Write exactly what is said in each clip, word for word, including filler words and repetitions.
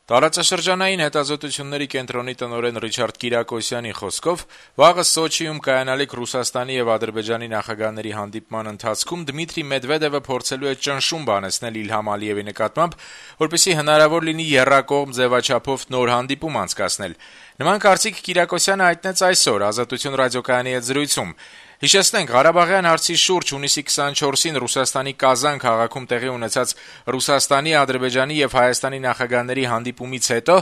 Տարածաշրջանային հետազոտությունների կենտրոնի տնօրեն Ռիչարդ Կիրակոսյանի խոսքով վաղը Սոչիում կայանալիք Ռուսաստանի եւ Ադրբեջանի նախագահների հանդիպման ընթացքում Դմիտրի Մեդվեդևը փորձելու է ճնշում բանեցնել Իլհամ Ալիևի նկատմամբ, որպեսզի հնարավոր լինի եռակողմ ձեւաչափով նոր հանդիպում անցկացնել։ Նման կարծիք Կիրակոսյանը հայտնեց այսօր Ազատություն ռադիոկայանի հետ զրույցում։ Հիշեցնենք, Ղարաբաղյան հարցի շուրջ հունիսի քսանչորսին Ռուսաստանի Կազան քաղաքում տեղի ունեցած Ռուսաստանի, Ադրբեջանի եւ Հայաստանի նախագահների հանդիպումից հետո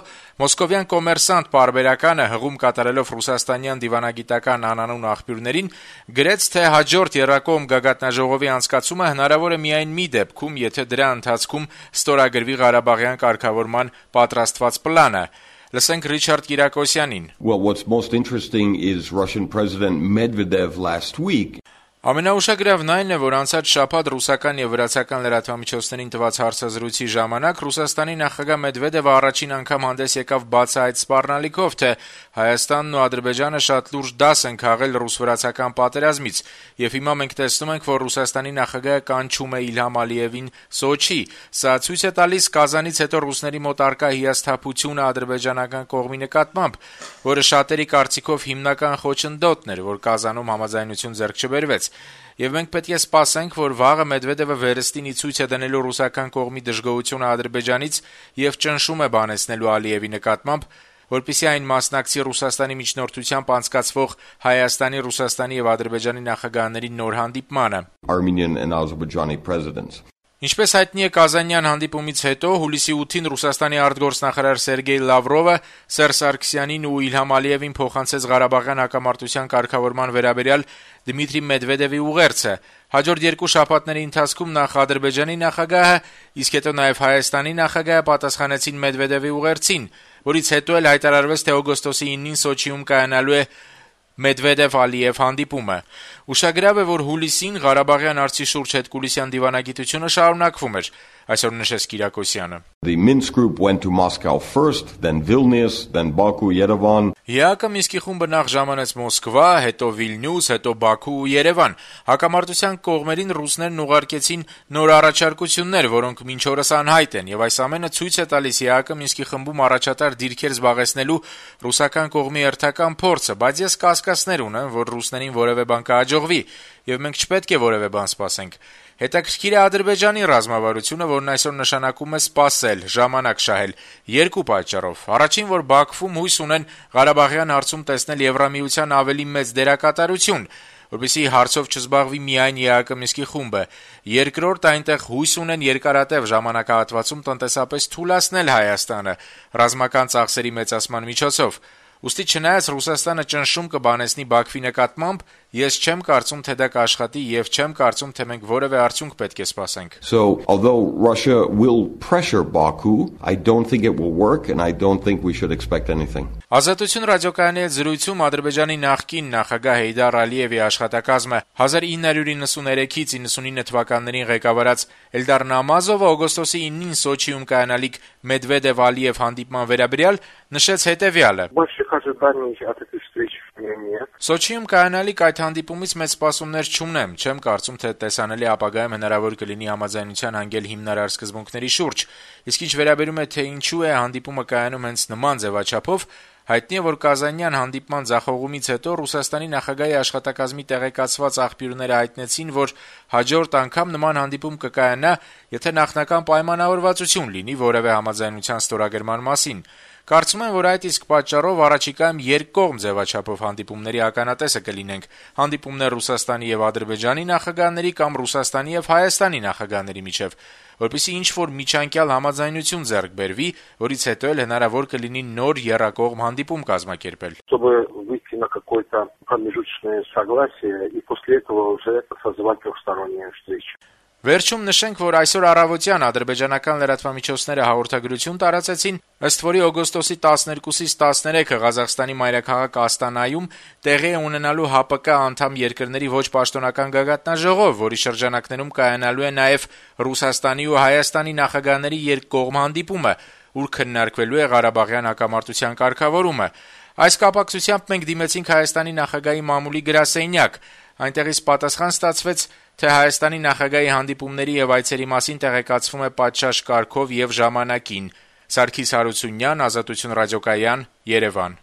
մոսկովյան Կոմերսանտ պարբերականը հղում կատարելով ռուսաստանյան դիվանագիտական անանուն աղբյուրներին գրեց, թե հաջորդ եռակողմ գագաթնաժողովի անցկացումը հնարավոր է միայն մի դեպքում, եթե դրա ընթացքում ստորագրվի Ղարաբաղյան կարգավորման պատրաստված պլանը։ Լսենք Ռիչարդ Կիրակոսյանին. Well, what's most interesting is Russian President Medvedev last week. Ամենաուշագրավն այն է, որ անցած շաբաթ ռուսական եւ վրացական լրատվամիջոցներին տված հարցազրույցի ժամանակ Ռուսաստանի նախագահ Մեդվեդևը առաջին անգամ հանդես եկավ բացահայտ սպառնալիքով, թե Հայաստանն ու Ադրբեջանը շատ լուրջ դաս են քաղել ռուս-վրացական պատերազմից, եւ հիմա մենք տեսնում ենք, որ Ռուսաստանի նախագահը կանչում է Իլհամ Ալիևին Սոչի։ Սա ցույց է տալիս Կազանից հետո ռուսների մոտ առկա հիասթափությունը ադրբեջանական կողմի նկատմամբ, որը շատերի կարծիքով հիմնական խոչընդոտն էր, որ Կազանում համաձայնություն ձեռք չբերվեց։ Եվ մենք պետք է սպասենք, որ վաղը Մեդվեդևը վերստինի ցույց է դնելու ռուսական կողմի դժգոհությունը Ադրբեջանից եւ ճնշում է բանեցնելու Ալիևի նկատմամբ, որպեսզի այն մասնակցի Ռուսաստանի միջնորդությամբ անցկացվող Հայաստանի, Ռուսաստանի եւ Ադրբեջանի նախագահների նոր հանդիպմանը։ Armenian and Azerbaijani presidents. Ինչպես հայտնի է Կազանյան հանդիպումից հետո, հուլիսի ութին Ռուսաստանի արտգործնախարար Սերգեյ Լավրովը Սերժ Սարգսյանին ու Իլհամ Ալիևին փոխանցեց Ղարաբաղյան հակամարտության կարգավորման վերաբերյալ Դմիտրի Մեդվեդևի ուղերձը։ Հաջորդ երկու շաբաթների ընթացքում նախ Ադրբեջանի նախագահը, իսկ հետո նաև Հայաստանի նախագահը պատասխանեցին Մեդվեդևի ուղերձին, որից հետո էլ հայտարարվեց, թե օգոստոսի ինին Սոչիում կայանալու է Մեդվեդև-Ալիև հանդիպումը։ Ուշագրավ է, որ հուլիսին Ղարաբաղյան հարցի շուրջ հետկուլիսյան դիվանագիտությունը շարունակվում էր, այսօր նշեց Կիրակոսյանը. The Minsk group went to Moscow first, then Vilnius, then Baku, Yerevan. ԵԱԿ-ը Մինսկի խումբը նախ ժամանեց Մոսկվա, հետո Վիլնյուս, հետո Բաքու ու Երևան։ Հակամարտության կողմերին ռուսներն ուղարկեցին նոր առաջարկություններ, որոնք մինչ օրս անհայտ են, եւ այս ամենը ցույց է տալիս ԵԱԿ-ը Մինսկի խմբում առաջատար դիրքեր զբաղեցնելու ռուսական կողմի հերթական փորձը, բայց ես կասկածներ ունեմ, որ ռուսներին որևէ բան կհաջողվի, եւ մենք չպետք է որևէ բան սպասենք։ Հետաքրքիր է Ադրբեջանի ռազմավարությունը, որն այսօր նշանակում է սպասել, ժամանակ շահել, երկու պատճառով։ Առաջին, որ Բաքվում հույս ունեն Ղարաբաղյան հարցում տեսնել Եվրամիության ավելի մեծ դերակատարություն, որպեսզի հարցով չզբաղվի միայն ԵԱԿ Մինսկի խումբը։ Երկրորդ, այնտեղ հույս ունեն երկարատև ժամանակահատվածում տնտեսապես թուլացնել Հայաստանը ռազմական ծախսերի մեծացման միջոցով։ Ուստի չնայած Ռուսաստանը ճնշում կբանեցնի Բաքվի նկատմամբ, ես չեմ կարծում, թե դա կաշխատի եւ չեմ կարծում, թե մենք որևէ արդյունք պետք է սպասենք։ So, although Russia will pressure Baku, I don't think it will work and I don't think we should expect anything. Ազատություն ռադիոկայանի հետ զրույցում Ադրբեջանի նախկին նախագահ Հեյդար Ալիևի աշխատակազմը հազար ինը հարյուր իննսուններեքից իննսունինը թվականներին ղեկավարած Էլդար Նամազովը օգոստոսի ինին Սոչիում կայանալիք Մեդվեդև-Ալիև հանդիպման վերաբերյալ նշեց հետևյալը. Սոչիում կայանալիք այդ հանդիպումից մեծ սպասումներ չունեմ, չեմ կարծում, թե տեսանելի ապագայում հնարավոր կլինի համաձայնության հանգել հիմնարար սկզբունքների շուրջ, իսկ ինչ վերաբերում է, թե ինչու է հանդիպումը կայանում հենց նման ձևաչափով, հայտնի է, որ Կազանյան հանդիպման ձախողումից հետո Ռուսաստանի նախագահի աշխատակազմի տեղեկացված աղբյուրները հայտնեցին, որ հաջորդ անգամ նման հանդիպում կկայանա, եթե նախնական պայմանավորվածություն լինի որևէ համաձայնության ստորագրման մասին։ Կարծում եմ, որ այդ իսկ պատճառով առաջիկայում երկկողմ ձևաչափով հանդիպումների ականատեսը կլինենք, հանդիպումներ Ռուսաստանի եւ Ադրբեջանի նախագահների կամ Ռուսաստանի եւ Հայաստանի նախագահների միջեւ, որպեսզի ինչ-որ միջանկյալ համաձայնություն ձեռք բերվի, որից հետո էլ հնարավոր կլինի նոր եռակողմ հանդիպում կազմակերպել։ На какое-то промежуточное согласие и после этого уже созвать трехсторонние встречи. Վերջում նշենք, որ այսօր առավոտյան ադրբեջանական լրատվամիջոցները հաղորդագրություն տարածեցին, ըստ որի օգոստոսի տասներկուսից տասներեքը Ղազախստանի մայրաքաղաք Աստանայում տեղի է ունենալու ՀԱՊԿ անդամ երկրների ոչ պաշտոնական գագաթնաժողով, որի շրջանակներում կայանալու է նաև Ռուսաստանի ու Հայաստանի նախագահների երկկողմ հանդիպումը, ուր քննարկվելու է Ղարաբաղյան հակամարտության կարգավորումը։ Այս կապակցությամբ մենք դիմեցինք Հայաստանի նախագահի մամուլի գրասենյակ, այնտեղից պատասխան ստացվեց, թե Հայաստանի նախագահի հանդիպումների եւ այցերի մասին տեղեկացվում է պատշաճ կարգով եւ ժամանակին։ Սարգիս Հարությունյան, Ազատություն ռադիոկայան, Երևան։